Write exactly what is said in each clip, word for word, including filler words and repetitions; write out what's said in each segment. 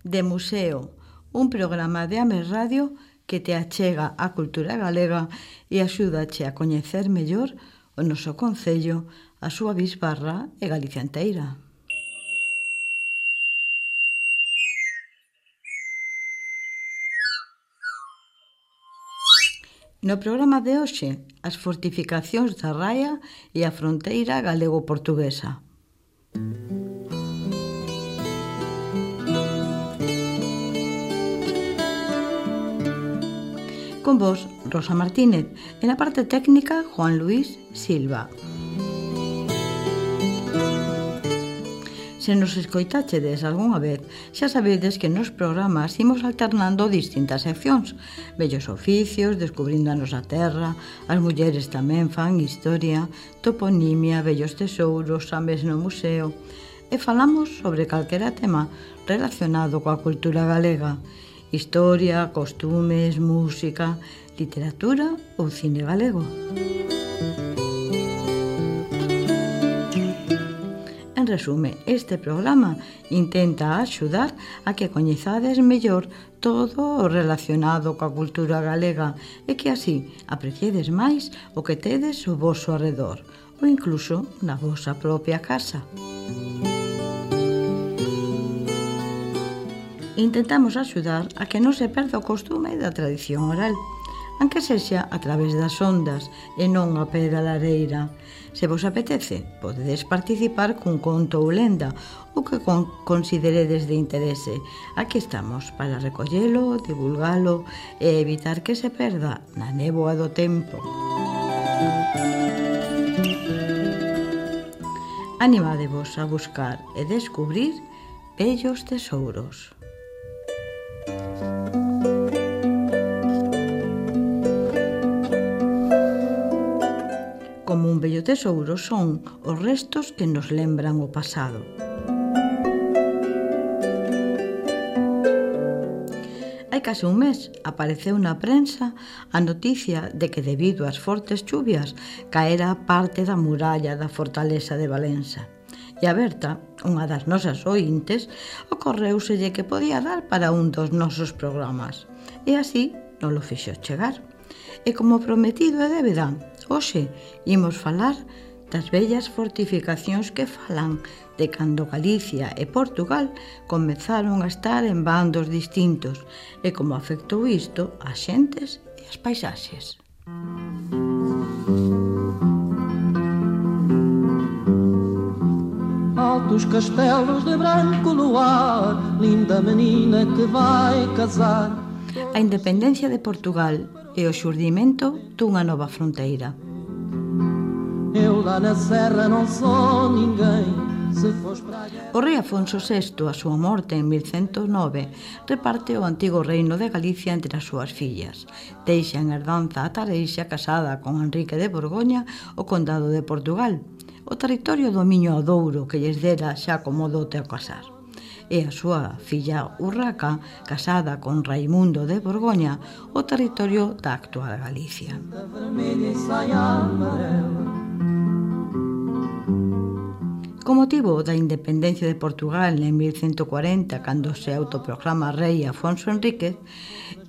de Museo, un programa de Ames Radio que te achega a cultura galega e axúdache a coñecer mellor o noso concello, a súa bisbarra e Galicia enteira. No programa de hoxe, as fortificacións da raia e a fronteira galego-portuguesa. Con vos, Rosa Martínez, e na parte técnica, Juan Luis Silva. Se nos escoitachedes algunha vez, xa sabedes que nos programas imos alternando distintas seccións. Bellos oficios, descubrindo a nosa terra, as mulleres tamén fan historia, toponimia, bellos tesouros, Ames no museo. E falamos sobre calquera tema relacionado coa cultura galega. Historia, costumes, música, literatura ou cine galego. En resume, este programa intenta axudar a que coñezades mellor todo o relacionado coa cultura galega e que así apreciedes máis o que tedes ao voso arredor ou incluso na vosa propia casa. Intentamos axudar a que non se perda o costume da tradición oral, aunque sexa a través das ondas e non a pé da lareira. Se vos apetece, podedes participar cun conto ou lenda, o que con consideredes de interese. Aquí estamos para recollelo, divulgalo e evitar que se perda na néboa do tempo. Animadevos a buscar e descubrir bellos tesouros. Como un bello tesouro son os restos que nos lembran o pasado. Hai case un mes apareceu na prensa a noticia de que debido ás fortes chuvias caera parte da muralla da fortaleza de Valença. E a Berta, unha das nosas ointes, ocorreuselle que podía dar para un dos nosos programas. E así non lo fixo chegar. E como prometido é débeda, hoxe imos falar das bellas fortificacións que falan de cando Galicia e Portugal comezaron a estar en bandos distintos e como afectou isto ás xentes e as paisaxes. Altos castelos de branco luar, linda menina que vai casar. A independencia de Portugal e o xurdimento dunha nova fronteira. Eu lá na serra non sou ninguén. Se fos para a guerra... O rei Afonso sexto, a súa morte en mil ciento nove, reparte o antigo reino de Galicia entre as súas fillas. Deixa en herdanza a Tareixa casada con Enrique de Borgoña o condado de Portugal, o territorio do Miño ao Douro que lles dera xa como dote ao casar. E a súa filla Urraca, casada con Raimundo de Borgoña, o territorio da actual Galicia. Co motivo da independencia de Portugal en mil ciento cuarenta, cando se autoproclama rei Afonso Enríquez,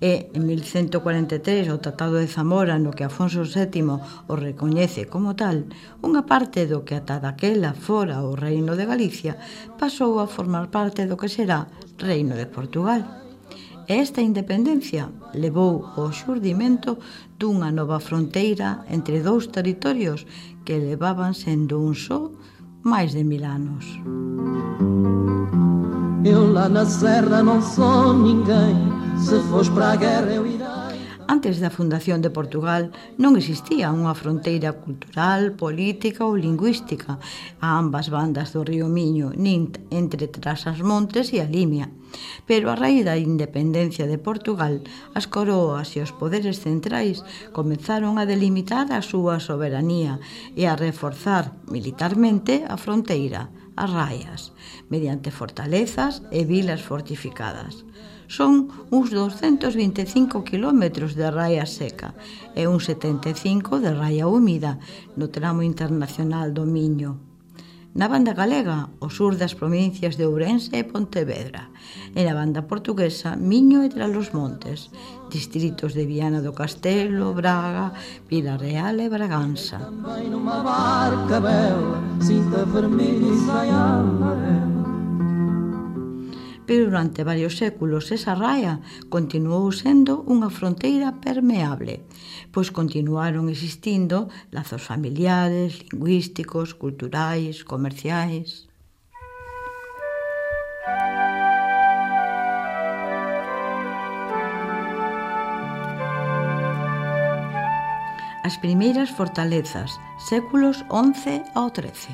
e en mil ciento cuarenta e tres o Tratado de Zamora, no que Afonso sétimo o recoñece como tal, unha parte do que ata daquela fora o Reino de Galicia pasou a formar parte do que será Reino de Portugal. E esta independencia levou ao xurdimento dunha nova fronteira entre dous territorios que levaban sendo un só máis de mil anos. Eu lá na serra non sou ninguén. Se fos para a guerra eu irá. Antes da fundación de Portugal non existía unha fronteira cultural, política ou lingüística a ambas bandas do río Miño, nin entre Trás-as-Montes e a Limia. Pero a raíz da independencia de Portugal, as coroas e os poderes centrais comenzaron a delimitar a súa soberanía e a reforzar militarmente a fronteira, as raias, mediante fortalezas e vilas fortificadas. Son uns doscientos vinte e cinco kilómetros de raia seca e uns setenta e cinco de raia húmida no tramo internacional do Miño. Na banda galega, o sur das provincias de Ourense e Pontevedra. E na banda portuguesa, Miño e Trasmontes, distritos de Viana do Castelo, Braga, Vila Real e Bragança. Também numa barca bela, cinta vermelha e saia amarela. Pero durante varios séculos esa raia continuou sendo unha fronteira permeable, pois continuaron existindo lazos familiares, lingüísticos, culturais, comerciais. As primeiras fortalezas, séculos once ao trece.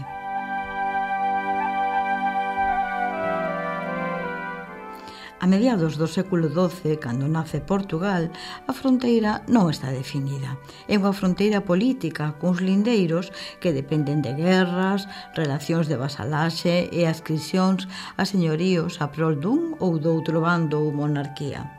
A mediados do século doce, cando nace Portugal, a fronteira non está definida. É unha fronteira política, cuns lindeiros que dependen de guerras, relacións de vasalaxe e ascricións a señoríos a prol dun ou doutro bando ou monarquía.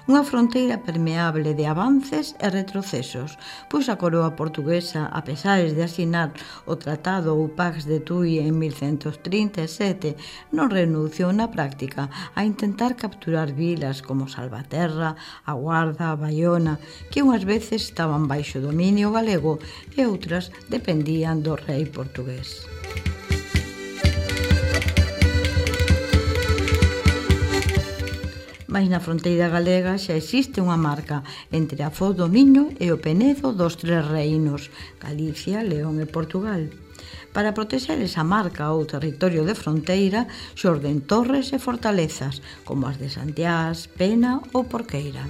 Unha fronteira permeable de avances e retrocesos, pois a coroa portuguesa, a pesar de asinar o Tratado ou Pax de Tui en mil cento trinta e sete, non renunciou na práctica a intentar capturar vilas como Salvaterra, a Guarda, a Baiona, que unhas veces estaban baixo dominio galego e outras dependían do rei portugués. Mais na fronteira galega xa existe unha marca entre a Foz do Miño e o Penedo dos Tres Reinos, Galicia, León e Portugal. Para protexer esa marca ou territorio de fronteira, xorden torres e fortalezas, como as de Santiás, Pena ou Porqueira.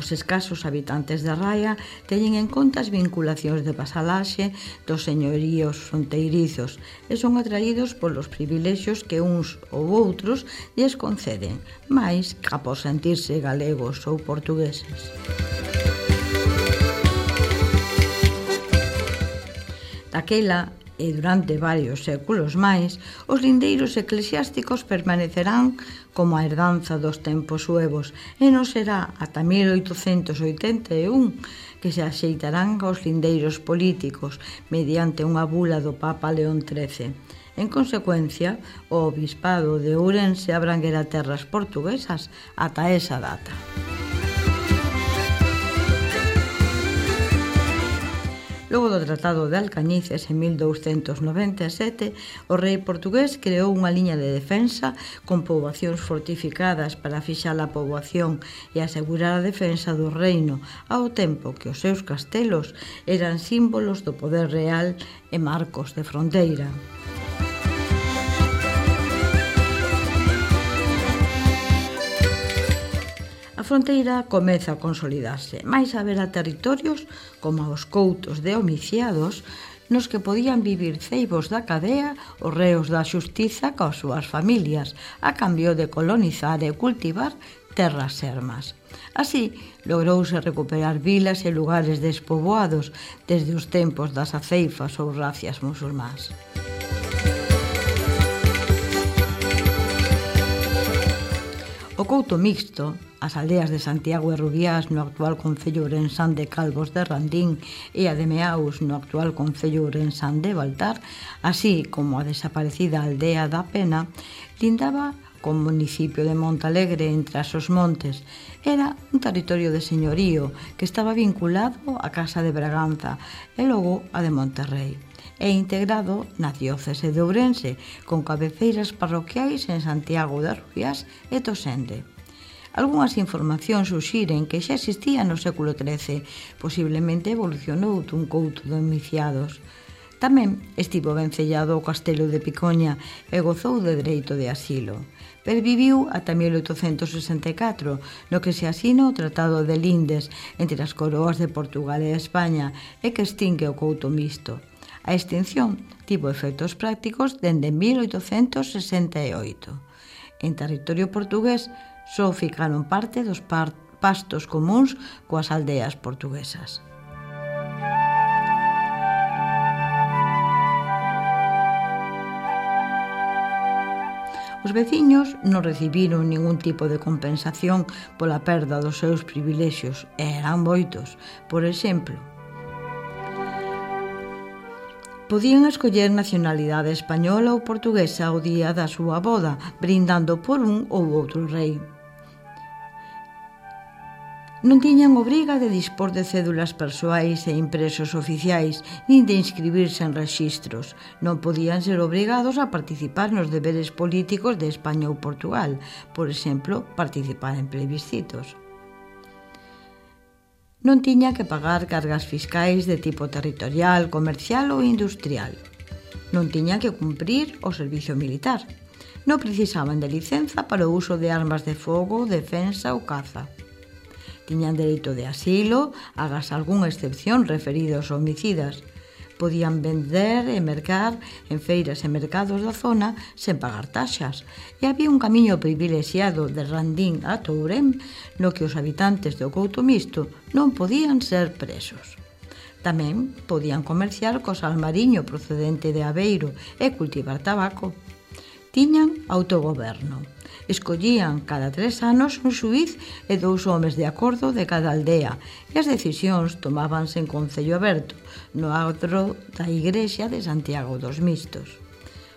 Os escasos habitantes da raia teñen en conta as vinculacións de vasalaxe dos señoríos fronteirizos e son atraídos polos privilexios que uns ou outros lles conceden, máis ca por sentirse galegos ou portugueses. Daquela e durante varios séculos máis, os lindeiros eclesiásticos permanecerán como a herdanza dos tempos suevos e non será ata mil oitocentos oitenta e un que se axeitarán aos lindeiros políticos mediante unha bula do Papa León trece. En consecuencia, o obispado de Ourense abranguera terras portuguesas ata esa data. Logo do Tratado de Alcañices en mil douscentos noventa e sete, o rei portugués creou unha liña de defensa con poboacións fortificadas para fixar a poboación e asegurar a defensa do reino, ao tempo que os seus castelos eran símbolos do poder real e marcos de fronteira. A fronteira comeza a consolidarse, máis haberá territorios como os coutos de homiciados nos que podían vivir ceibos da cadea os reos da xustiza coas súas familias, a cambio de colonizar e cultivar terras sermas. Así, logrouse recuperar vilas e lugares despoboados desde os tempos das aceifas ou racias musulmás. O couto mixto, as aldeas de Santiago e Rubiás no actual concello ourensán de Calvos de Randín e a de Meaus no actual concello ourensán de Baltar, así como a desaparecida aldea da Pena, lindaba co municipio de Montalegre entre as os montes. Era un territorio de señorío que estaba vinculado á Casa de Braganza e logo a de Monterrey, e integrado na diócese de Ourense, con cabeceiras parroquiais en Santiago de Rubiás e Tosende. Algúnas informacións suxiren que xa existía no século trece, posiblemente evolucionou dun couto de homiciados. Tamén estivo vencellado ao castelo de Picoña e gozou de dereito de asilo. Perviviu ata mil oitocentos sesenta e catro, no que se asina o Tratado de Lindes entre as coroas de Portugal e España e que extingue o couto mixto. A extinción tivo efectos prácticos dende mil oitocentos sesenta e oito. En territorio portugués só ficaron parte dos pastos comuns coas aldeas portuguesas. Os veciños non recibiron ningún tipo de compensación pola perda dos seus privilexios e eran moitos. Por exemplo, Podían escoller nacionalidade española ou portuguesa o día da súa boda, brindando por un ou outro rei. Non tiñan obriga de dispor de cédulas persoais e impresos oficiais, nin de inscribirse en rexistros. Non podían ser obrigados a participar nos deberes políticos de España ou Portugal, por exemplo, participar en plebiscitos. Non tiña que pagar cargas fiscais de tipo territorial, comercial ou industrial. Non tiña que cumprir o servicio militar. Non precisaban de licenza para o uso de armas de fogo, defensa ou caza. Tiñan dereito de asilo, agás algunha excepción referidos a homicidas. Podían vender e mercar en feiras e mercados da zona sen pagar taxas. E había un camiño privilexiado de Randín a Tourén no que os habitantes do Couto Misto non podían ser presos. Tamén podían comerciar co sal mariño procedente de Aveiro e cultivar tabaco. Tiñan autogoberno. Escollían cada tres anos un xuíz e dous homes de acordo de cada aldea e as decisións tomábanse en concello aberto no adro da Igrexa de Santiago dos Mistos.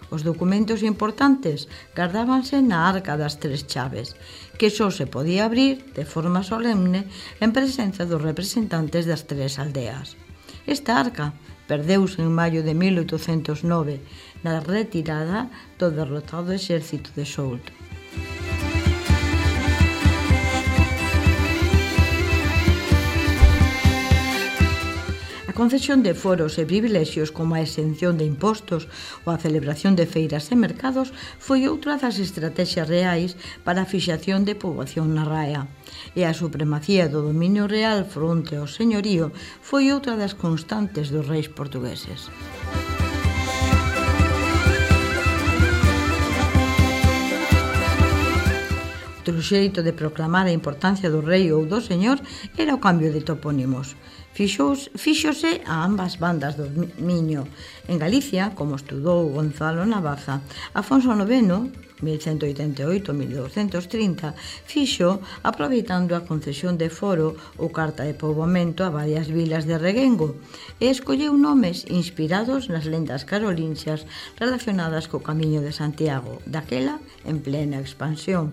Os documentos importantes gardábanse na Arca das Tres Chaves, que só se podía abrir de forma solemne en presenza dos representantes das tres aldeas. Esta arca perdeuse en maio de mil oitocentos nove na retirada do derrotado exército de Souto. A concesión de foros e privilexios como a exención de impostos ou a celebración de feiras e mercados foi outra das estrategias reais para a fixación de poboación na raia. E a supremacía do dominio real fronte ao señorío foi outra das constantes dos reis portugueses. Outro xeito de proclamar a importancia do rei ou do señor era o cambio de topónimos. Fixos, fíxose a ambas bandas do Miño. En Galicia, como estudou Gonzalo Navaza, Afonso noveno, mil cento oitenta e oito a mil douscentos trinta, fixo aproveitando a concesión de foro ou carta de poboamento a varias vilas de Reguengo e escolleu nomes inspirados nas lendas carolinxias relacionadas co Camiño de Santiago, daquela en plena expansión.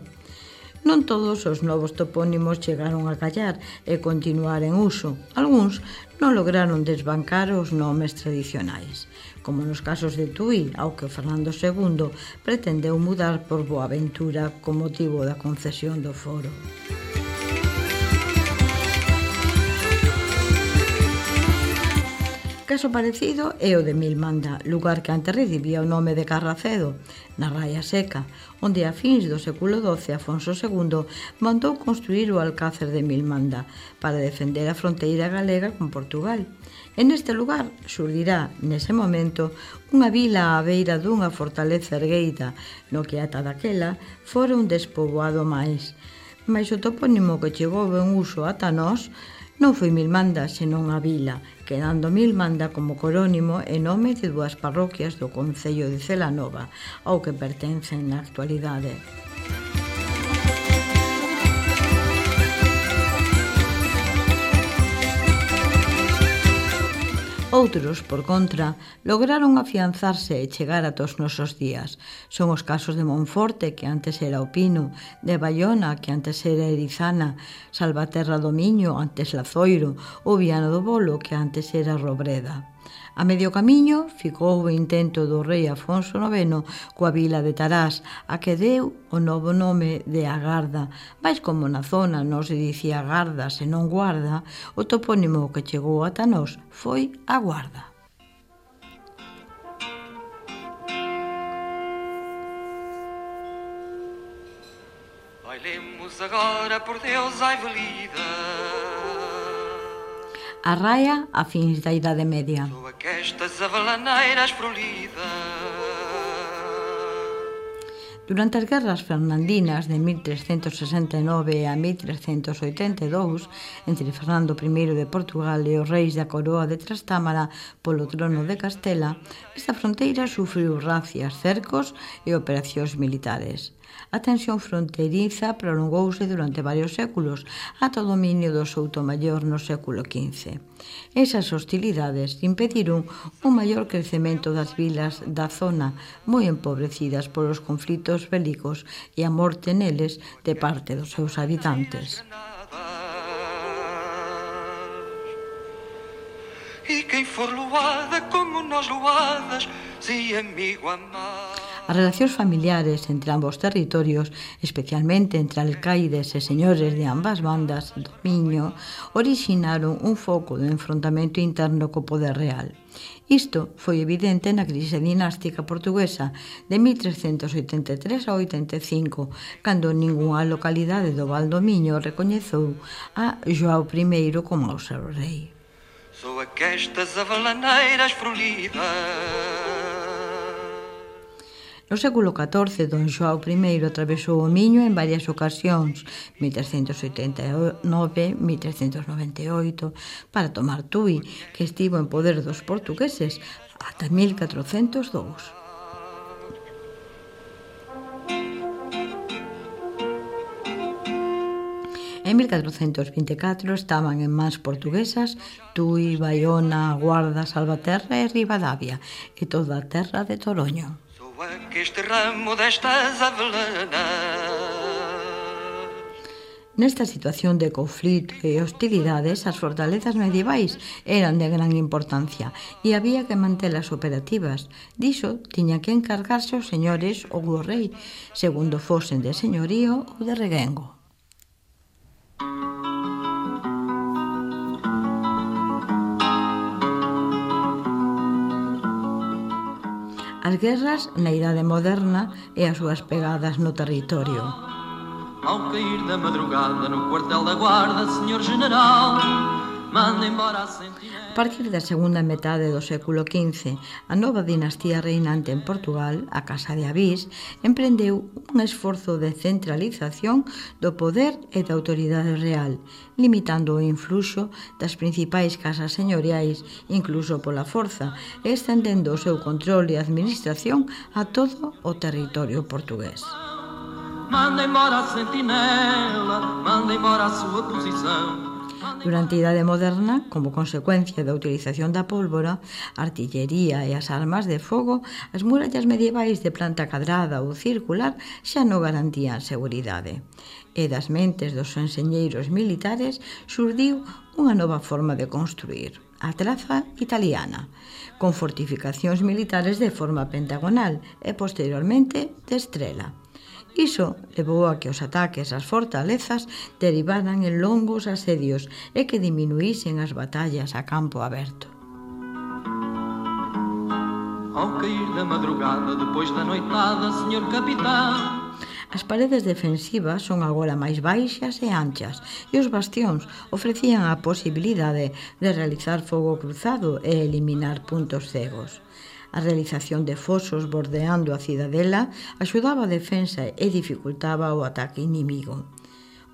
Non todos os novos topónimos chegaron a callar e continuar en uso. Algúns non lograron desbancar os nomes tradicionais, como nos casos de Tui, ao que Fernando segundo pretendeu mudar por Boaventura con motivo da concesión do foro. Caso parecido é o de Milmanda, lugar que antes recibía o nome de Carracedo, na Raia Seca, onde a fins do século doce Afonso segundo mandou construir o Alcácer de Milmanda para defender a fronteira galega con Portugal. E neste lugar xurdirá, nese momento, unha vila á beira dunha fortaleza ergueita, no que ata daquela fora un despoboado máis. Mais o topónimo que chegou en uso ata nós non foi Milmanda, senón a vila, quedando Milmanda como corónimo e nome de dúas parroquias do concello de Celanova, ao que pertencen na actualidade. Outros, por contra, lograron afianzarse e chegar ata os nosos días. Son os casos de Monforte, que antes era o Pino, de Bayona, que antes era Erizana, Salvaterra do Miño, antes Lazoiro, ou Viana do Bolo, que antes era Robreda. A medio camiño ficou o intento do rei Afonso noveno coa vila de Tarás, a que deu o novo nome de Agarda, mais como na zona non se dicía Garda senón Guarda, o topónimo que chegou ata nós foi a Guarda. Bailemos agora por Deus ai velida. A raia a fins da Idade Media. Sou aquestas avalaneiras frolidas. Durante as guerras fernandinas de mil trescentos sesenta e nove a mil trescentos oitenta e dous, entre Fernando primeiro de Portugal e os reis da coroa de Trastámara polo trono de Castela, esta fronteira sufriu racias, cercos e operacións militares. A tensión fronteriza prolongouse durante varios séculos ata o dominio do Soutomaior no século quince. Esas hostilidades impediron un maior crecemento das vilas da zona, moi empobrecidas polos conflitos bélicos e a morte neles de parte dos seus habitantes. E quem for loada como nós loadas, se amigo amar. As relacións familiares entre ambos territorios, especialmente entre alcaides e señores de ambas bandas do Miño, orixinaron un foco de enfrontamento interno co poder real. Isto foi evidente na crise dinástica portuguesa de mil trescentos oitenta e tres a oitenta e cinco, cando ningunha localidade do Val do Miño recoñeceu a João primeiro como o seu rei. Sou aquestas avalaneiras frolidas. No século catorce, don João primeiro atravesou o Miño en varias ocasións, mil trescentos oitenta e nove a mil trescentos noventa e oito, para tomar Tui, que estivo en poder dos portugueses ata mil catrocentos dous. En mil catrocentos vinte e catro estaban en mans portuguesas Tui, Baiona, Guarda, Salvaterra e Ribadavia e toda a terra de Toroño. Este ramo destas avelanas. Nesta situación de conflito e hostilidades, as fortalezas medievais eran de gran importancia e había que mantelas operativas. Diso tiña que encargarse os señores ou o rei, segundo fosen de señorío ou de reguengo. As guerras na idade moderna e as súas pegadas no territorio. Ao cair da madrugada no quartel da guarda, senhor general, manda embora a sentinela. A partir da segunda metade do século quince, a nova dinastía reinante en Portugal, a Casa de Avís, emprendeu un esforzo de centralización do poder e da autoridade real, limitando o influxo das principais casas señoriais, incluso pola forza, e estendendo o seu control e administración a todo o territorio portugués. Manda embora a sentinela, manda embora a súa posição. Durante a Idade Moderna, como consecuencia da utilización da pólvora, a artillería e as armas de fogo, as murallas medievais de planta cadrada ou circular xa non garantían seguridade. E das mentes dos enxeñeiros militares xurdiu unha nova forma de construir, a traza italiana, con fortificacións militares de forma pentagonal e, posteriormente, de estrela. Iso levou a que os ataques ás fortalezas derivaran en longos asedios e que diminuísen as batallas a campo aberto. Ao cair da madrugada, depois da noitada, senhor capitão. As paredes defensivas son agora máis baixas e anchas e os bastións ofrecían a posibilidade de realizar fogo cruzado e eliminar puntos cegos. A realización de fosos bordeando a cidadela axudaba a defensa e dificultaba o ataque inimigo.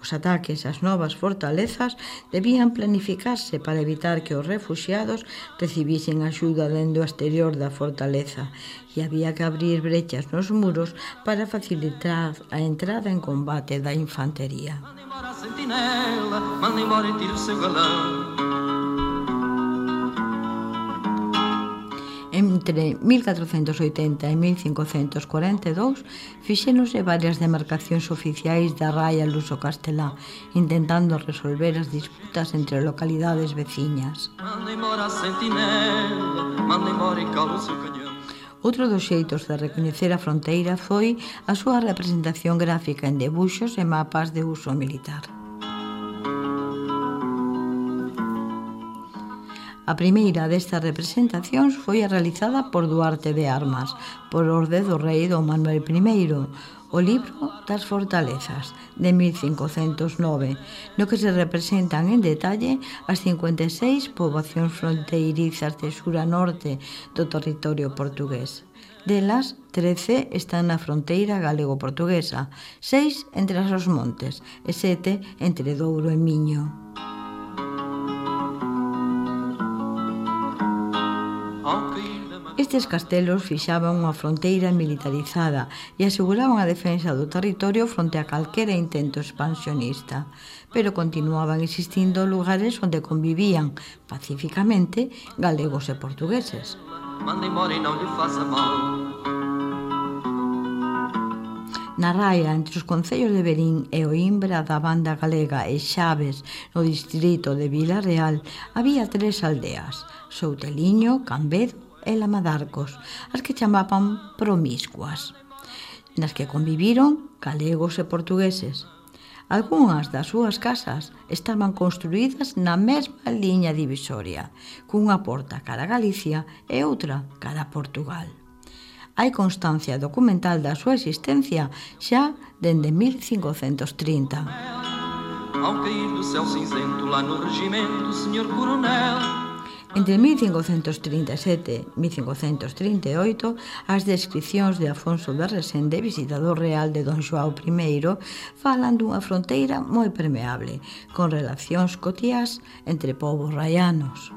Os ataques ás novas fortalezas debían planificarse para evitar que os refuxiados recibisen axuda dende o exterior da fortaleza e había que abrir brechas nos muros para facilitar a entrada en combate da infantería. Manda embora a sentinela, manda embora e tire o seu galão. Entre mil catrocentos oitenta e mil cincocentos cuarenta e dous fixéronse varias demarcacións oficiais da raia luso-castelá, intentando resolver as disputas entre localidades veciñas. Manda embora a sentinela, manda embora e cala o seu canhão. Outro dos xeitos de recoñecer a fronteira foi a súa representación gráfica en debuxos e mapas de uso militar. A primeira destas representacións foi a realizada por Duarte de Armas, por orde do rei don Manuel primeiro, o libro das fortalezas, de mil cincocentos nove, no que se representan en detalle as cincuenta e seis poboacións fronteirizas de sur a norte do territorio portugués. Delas, trece están na fronteira galego-portuguesa, seis entre os montes e sete entre Douro e Miño. Estes castelos fixaban unha fronteira militarizada e aseguraban a defensa do territorio fronte a calquera intento expansionista, pero continuaban existindo lugares onde convivían pacificamente galegos e portugueses. Manda embora e não lhe faça mal. Na raia, entre os concellos de Verín e Oimbra da Banda Galega e Xaves, no distrito de Vila Real, había tres aldeas, Souteliño, Cambedo e Lamadarcos, as que chamaban promiscuas, nas que conviviron galegos e portugueses. Algúnas das súas casas estaban construídas na mesma liña divisoria, cunha porta cara a Galicia e outra cara a Portugal. Hai constancia documental da súa existencia xa dende mil cincocentos trinta. Ao cair do céu cinzento lá no regimento, senhor coronel. Entre mil cincocentos trinta e sete e mil cincocentos trinta e oito, as descripcións de Afonso de Resende, visitador real de Don Xoao primeiro, falan dunha fronteira moi permeable, con relacións cotiás entre povos raianos.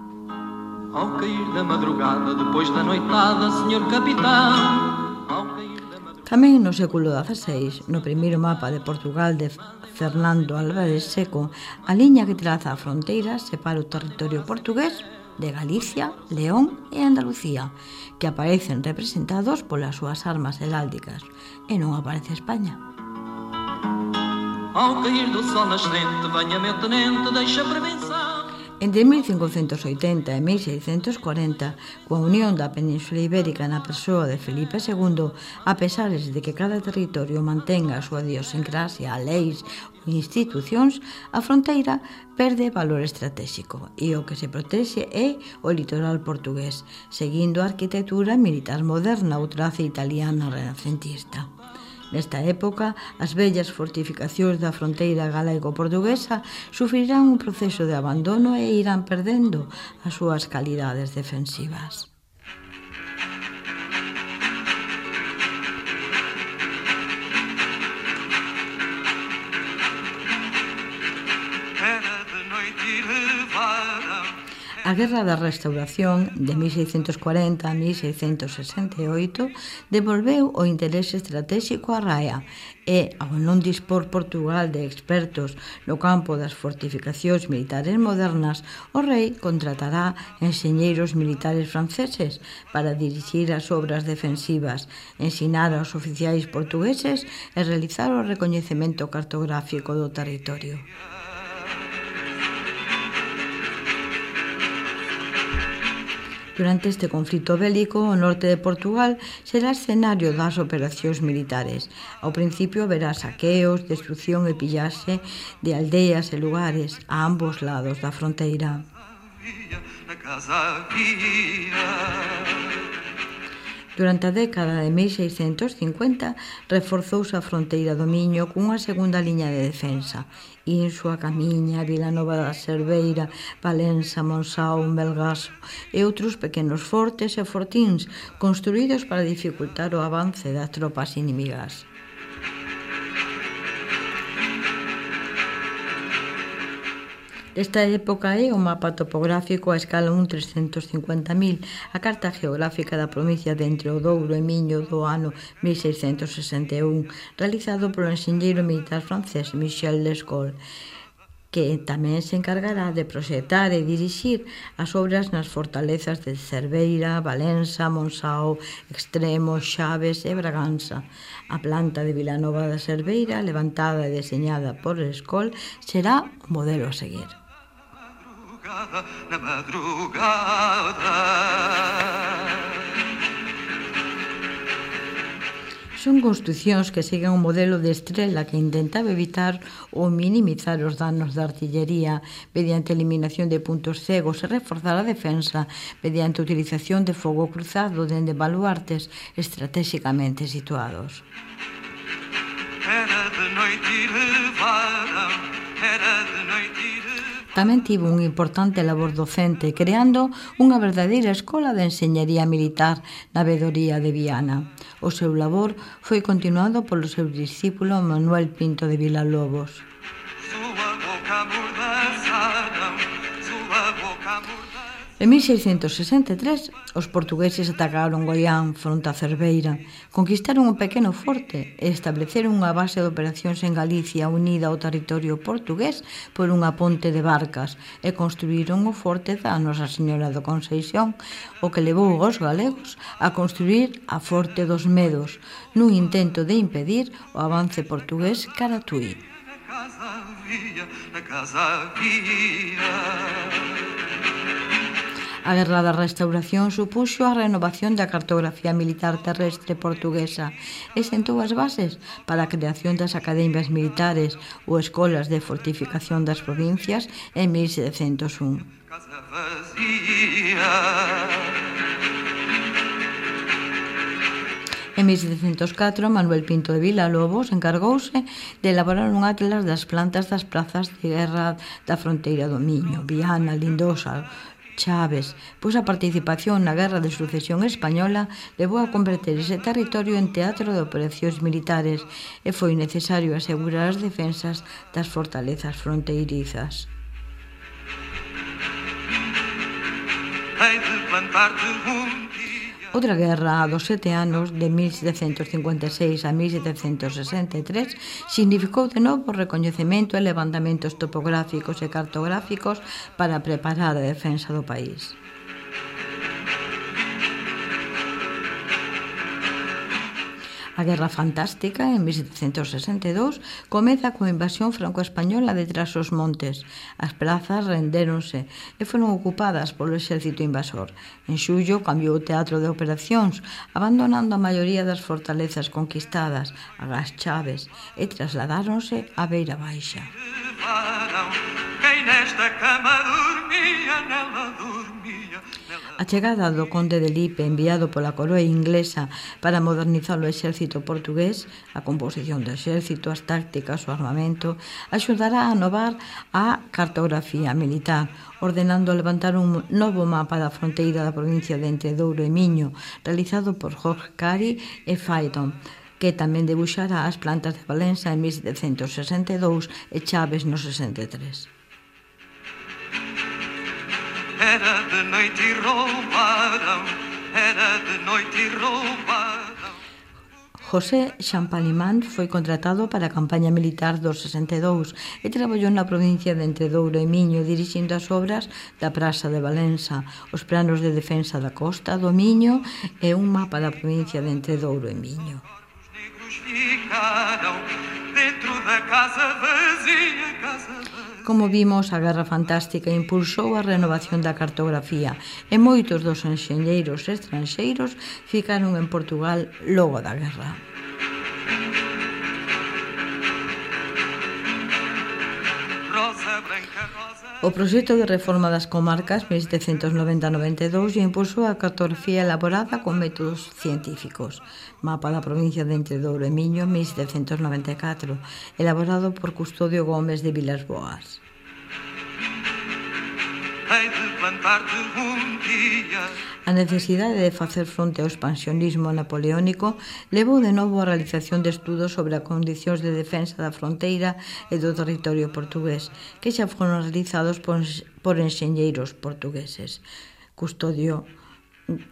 Ao cair da madrugada, depois da noitada, senhor capitão. Ao cair da madrugada... Tamén no século dezaseis, no primeiro mapa de Portugal de Fernando Álvarez Seco, a liña que traza a fronteira separa o territorio portugués de Galicia, León e Andalucía, que aparecen representados polas súas armas heráldicas, e non aparece España. Ao cair do sol nascente, venha meu tenente, deixa prevenção. Entre mil cincocentos oitenta e mil seiscentos corenta, coa unión da Península Ibérica na persoa de Felipe segundo, a pesar de que cada territorio mantenga a súa idiosincrasia, leis ou institucións, a fronteira perde valor estratégico e o que se protexe é o litoral portugués, seguindo a arquitectura militar moderna ou traza italiana renacentista. Nesta época, as vellas fortificacións da fronteira galego-portuguesa sufrirán un proceso de abandono e irán perdendo as súas calidades defensivas. A Guerra da Restauración de mil seiscentos cuarenta a mil seiscentos sesenta e oito devolveu o interese estratégico á raia e, ao non dispor Portugal de expertos no campo das fortificacións militares modernas, o rei contratará enxeñeiros militares franceses para dirixir as obras defensivas, ensinar aos oficiais portugueses e realizar o recoñecemento cartográfico do territorio. Durante este conflito bélico, o norte de Portugal será escenario das operacións militares. Ao principio haberá saqueos, destrucción e pillaxe de aldeas e lugares a ambos lados da fronteira. Durante a década de mil seiscentos cincuenta reforzouse a fronteira do Miño cunha segunda liña de defensa. Insua, Camiña, Vilanova da Cerveira, Valença, Monsáu, Melgaso e outros pequenos fortes e fortíns construídos para dificultar o avance das tropas inimigas. Esta época é o mapa topográfico a escala un trescentos cincuenta mil, a carta geográfica da provincia de Entre o Douro e Miño do ano mil seiscentos sesenta e un, realizado polo enxeñeiro militar francés Michel Lescaut, que tamén se encargará de proxectar e dirixir as obras nas fortalezas de Cerveira, Valença, Monsáu, Extremo, Xaves e Bragança. A planta de Vilanova da Cerveira, levantada e deseñada por Lescaut, será o modelo a seguir. Na madrugada. Son construcións que seguen un modelo de estrela que intentaba evitar ou minimizar os danos da artillería mediante eliminación de puntos cegos e reforzar a defensa mediante a utilización de fogo cruzado dende baluartes estratégicamente situados. Era de noite e levaram, era de noite e levaram. Tamén tivo un importante labor docente, creando unha verdadeira escola de enxeñería militar na vedoría de Viana. O seu labor foi continuado polo seu discípulo Manuel Pinto de Vilalobos. En mil seiscentos sesenta e tres, os portugueses atacaron Goián fronte a Cerveira, conquistaron un pequeno forte e estableceron unha base de operacións en Galicia unida ao territorio portugués por unha ponte de barcas e construíron o forte da Nosa Señora da Conceición, o que levou aos galegos a construir a Forte dos Medos, nun intento de impedir o avance portugués cara a Tui. A Guerra da Restauración supuxo a renovación da cartografía militar terrestre portuguesa e sentou as bases para a creación das academias militares ou escolas de fortificación das provincias en mil setecentos un. En mil setecentos catro, Manuel Pinto de Vilalobos encargouse de elaborar un atlas das plantas das prazas de guerra da fronteira do Miño, Viana, Lindosa, Chaves, pois a participación na Guerra de Sucesión Española levou a converter ese territorio en teatro de operacións militares e foi necesario asegurar as defensas das fortalezas fronteirizas. Outra guerra dos sete anos, de mil setecentos cincuenta e seis a mil setecentos sesenta e tres, significou de novo o recoñecemento e levantamentos topográficos e cartográficos para preparar a defensa do país. A Guerra Fantástica, en mil setecentos sesenta e dous, comeza coa invasión franco-española de Trás os Montes. As prazas rendéronse e foron ocupadas polo exército invasor. En xullo cambiou o teatro de operacións, abandonando a maioría das fortalezas conquistadas, agás Chaves, e trasladáronse á Beira Baixa. A chegada do conde de Lipe, enviado pola coroa inglesa para modernizar o exército portugués, a composición do exército, as tácticas, o armamento, axudará a inovar a cartografía militar, ordenando levantar un novo mapa da fronteira da provincia de Entredouro e Miño, realizado por Jorge Cari e Phaeton, que tamén debuxará as plantas de Valença en mil setecentos sesenta e dous e Chaves no sesenta e tres. Era de noite e roubaram, era de noite e roubaram. José Champalimán foi contratado para a campaña militar do sesenta e dous e traballou na provincia de Entredouro e Miño dirixindo as obras da Praza de Valença, os planos de defensa da costa do Miño e un mapa da provincia de Entredouro e Miño. Dentro da casa vazia, casa vazia. Como vimos, a Guerra Fantástica impulsou a renovación da cartografía e moitos dos enxeñeiros estranxeiros ficaron en Portugal logo da guerra. O proxecto de reforma das comarcas mil setecentos noventa a noventa e dous impulsou a cartografía elaborada con métodos científicos. Mapa da provincia de Entredouro e Miño mil setecentos noventa e catro, elaborado por Custodio Gómez de Vilas Boas. A necesidade de facer fronte ao expansionismo napoleónico levou de novo a realización de estudos sobre as condicións de defensa da fronteira e do territorio portugués, que xa foron realizados por, por enxeñeiros portugueses. Custodio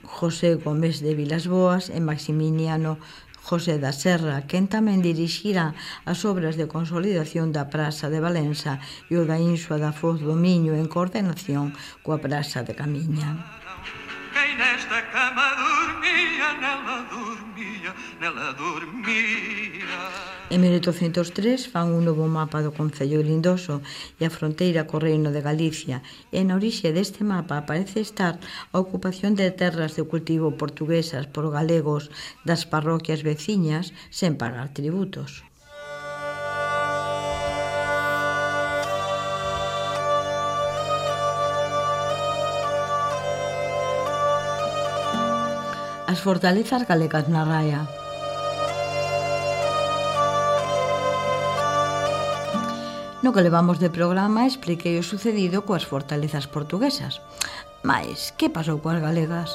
José Gómez de Vilas Boas e Maximiliano José da Serra, quen tamén dirixira as obras de consolidación da Praza de Valença e o da Insua da Foz do Miño en coordinación coa Praza de Camiña. Quem nesta cama dormia, nela dormia, nela dormia. En mil oitocentos tres fan un novo mapa do Concello de Lindoso e a fronteira co Reino de Galicia, e na orixe deste mapa parece estar a ocupación de terras de cultivo portuguesas por galegos das parroquias veciñas sen pagar tributos. As fortalezas galegas na raia. No que levamos de programa expliquei o sucedido coas fortalezas portuguesas. Mais, que pasou coas galegas?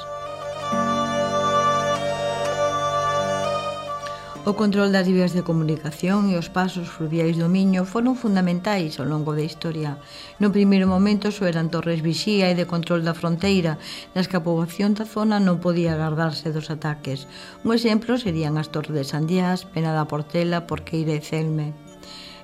O control das vías de comunicación e os pasos fluviais do Miño foron fundamentais ao longo da historia. No primeiro momento só eran torres vixía e de control da fronteira, nas que a poboación da zona non podía agardarse dos ataques. Un exemplo serían as torres de Sandiás, Pena da Portela, Porqueira e Celme.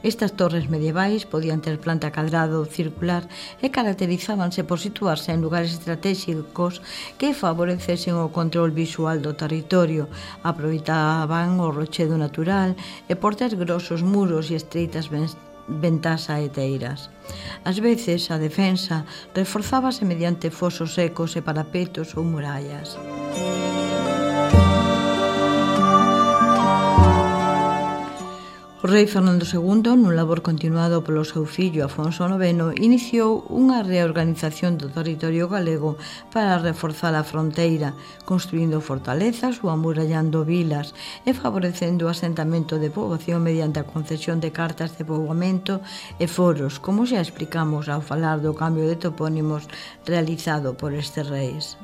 Estas torres medievais podían ter planta cadrada ou circular e caracterizábanse por situarse en lugares estratégicos que favorecesen o control visual do territorio, aproveitaban o rochedo natural e por ter grosos muros e estreitas ventás saeteiras. Ás veces, a defensa reforzábase mediante fosos secos e parapetos ou murallas. O rei Fernando segundo, nun labor continuado polo seu fillo Afonso noveno, iniciou unha reorganización do territorio galego para reforzar a fronteira, construindo fortalezas ou amurallando vilas e favorecendo o asentamento de poboación mediante a concesión de cartas de poboamento e foros, como xa explicamos ao falar do cambio de topónimos realizado por estes reis.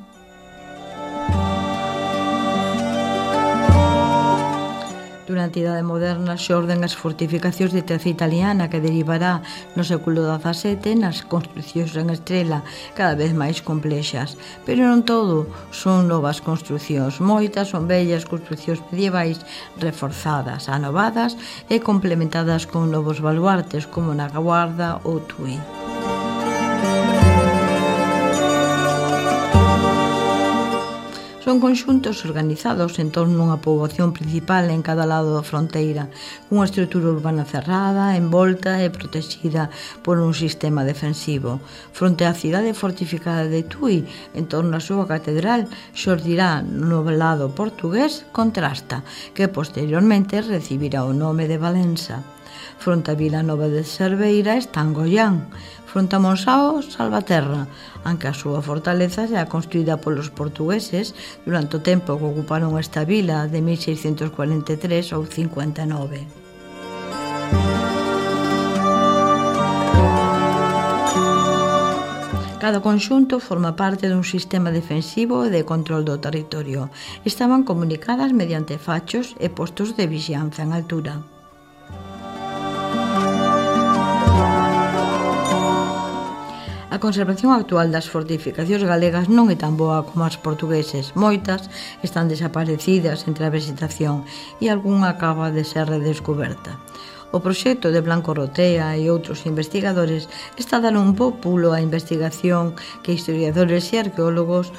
Durante a Idade Moderna xorden as fortificacións de traza italiana que derivará no século dezasete nas construcións en estrela cada vez máis complexas. Pero non todo son novas construcións, moitas son bellas construcións medievais reforzadas, anovadas e complementadas con novos baluartes como na Guarda ou Tui. Son conxuntos organizados en torno a unha poboación principal en cada lado da fronteira, cunha estrutura urbana cerrada, envolta e protexida por un sistema defensivo. Fronte á cidade fortificada de Tui, en torno á súa catedral, xordirá no lado portugués Contrasta, que posteriormente recibirá o nome de Valença. Fronte a Vila Nova de Cerveira está Angoián. Fronte a Monsao, Salvaterra, aunque a súa fortaleza xa construída polos portugueses durante o tempo que ocuparon esta vila de mil seiscentos cuarenta e tres ou cincuenta e nove. Cada conxunto forma parte dun sistema defensivo e de control do territorio. Estaban comunicadas mediante fachos e postos de vixianza en altura. A conservación actual das fortificacións galegas non é tan boa como as portugueses. Moitas están desaparecidas entre a vegetación e algunha acaba de ser redescoberta. O proxecto de Blanco Rotea e outros investigadores está a dar un bo pulo á investigación que historiadores e arqueólogos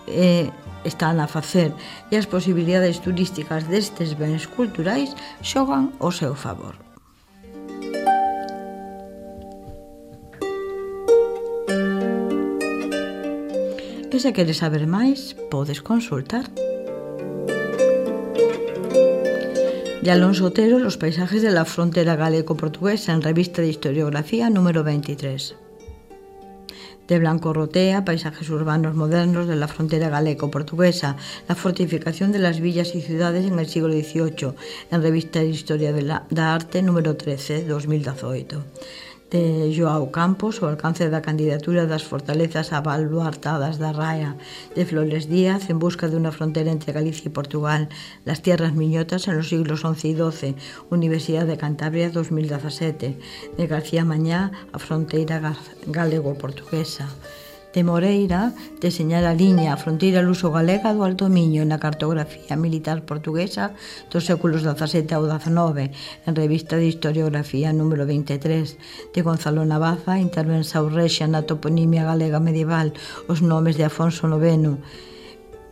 eh, están a facer e as posibilidades turísticas destes bens culturais xogan ao seu favor. E se queres saber máis, podes consultar. De Alonso Otero, Los paisajes de la frontera galego-portuguesa, en Revista de Historiografía número veintitrés. De Blanco Rotea, Paisajes urbanos modernos de la frontera galego-portuguesa, la fortificación de las villas y ciudades en el siglo dieciocho, en Revista de Historia de la, da Arte número trece, dos mil dieciocho. De Joao Campos, O alcance da candidatura das fortalezas abaluartadas da Raia, de Flores Díaz, En busca de unha frontera entre Galicia e Portugal, Las tierras miñotas en los siglos once y doce, Universidad de Cantabria dos mil diecisiete, de García Mañá, A fronteira galego-portuguesa. De Moreira, Deseñar a liña, a fronteira luso-galega do Alto Miño na cartografía militar portuguesa dos séculos dezasete ao dezenove, en Revista de Historiografía número veintitrés. De Gonzalo Navaza, Intervenção Rexia na toponimia galega medieval, os nomes de Afonso noveno,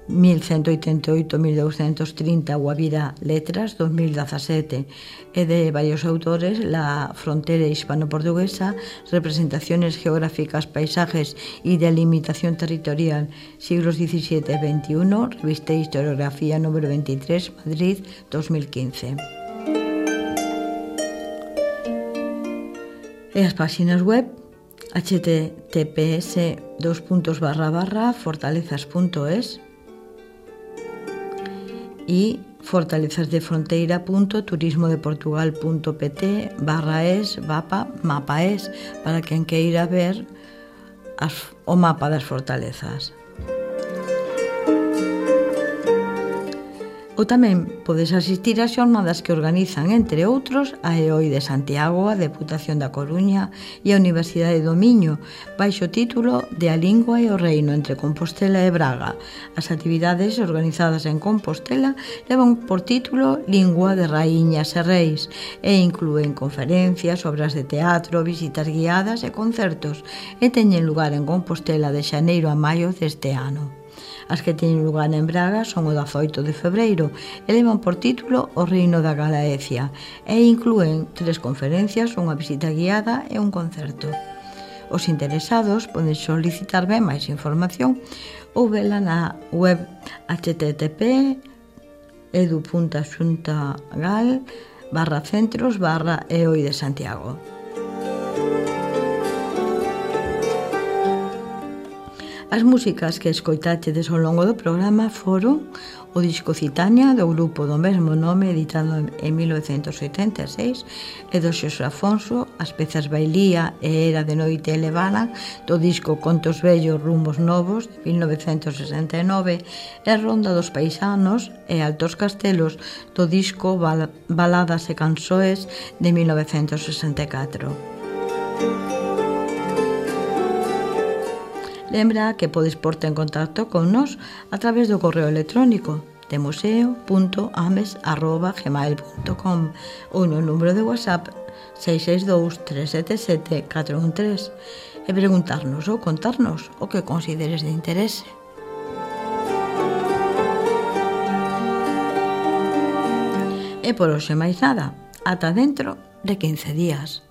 mil ciento oitenta e oito a mil doscientos trinta, Guavira Letras, dos mil diecisiete, e de varios autores, La frontera hispano-portuguesa, Representaciones geográficas, paisajes y delimitación territorial, siglos diecisiete a veintiuno, Revista de Historiografía número veintitrés, Madrid, dos mil quince. E as páxinas web h t t p s dos puntos barra barra fortalezas punto es y fortalezasdefronteira.turismodeportugal.pt barra es mapa, mapa es, para quen queira ver as, o mapa das fortalezas. Ou tamén podes asistir ás xornadas que organizan, entre outros, a E O I de Santiago, a Deputación da Coruña e a Universidade do Miño, baixo o título de A Lingua e o Reino entre Compostela e Braga. As actividades organizadas en Compostela levan por título Lingua de Raíñas e Reis e inclúen conferencias, obras de teatro, visitas guiadas e concertos, e teñen lugar en Compostela de xaneiro a maio deste ano. As que teñen lugar en Braga son o dezaoito de febreiro e levan por título O Reino da Galaecia e inclúen tres conferencias, unha visita guiada e un concerto. Os interesados poden solicitar ben máis información ou vela na web http edu.xuntagal barra centros barra eoi de Santiago. As músicas que escoitachedes ao longo do programa foron o disco Citania do grupo do mesmo nome editado en mil novecentos oitenta e seis e do Xosé Afonso, as pezas Bailía e Era de Noite e Levana do disco Contos Vellos, Rumos Novos de mil novecentos sesenta e nove e Ronda dos Paisanos e Altos Castelos do disco Bal- Baladas e Cansoes de mil novecentos sesenta e catro. Lembra que podes porte en contacto con nós a través do correo electrónico de museo punto ames arroba gmail punto com ou no número de WhatsApp seis seis dous, tres sete sete, catro un tres e preguntarnos ou contarnos o que consideres de interese. E por hoxe máis nada, ata dentro de quince días.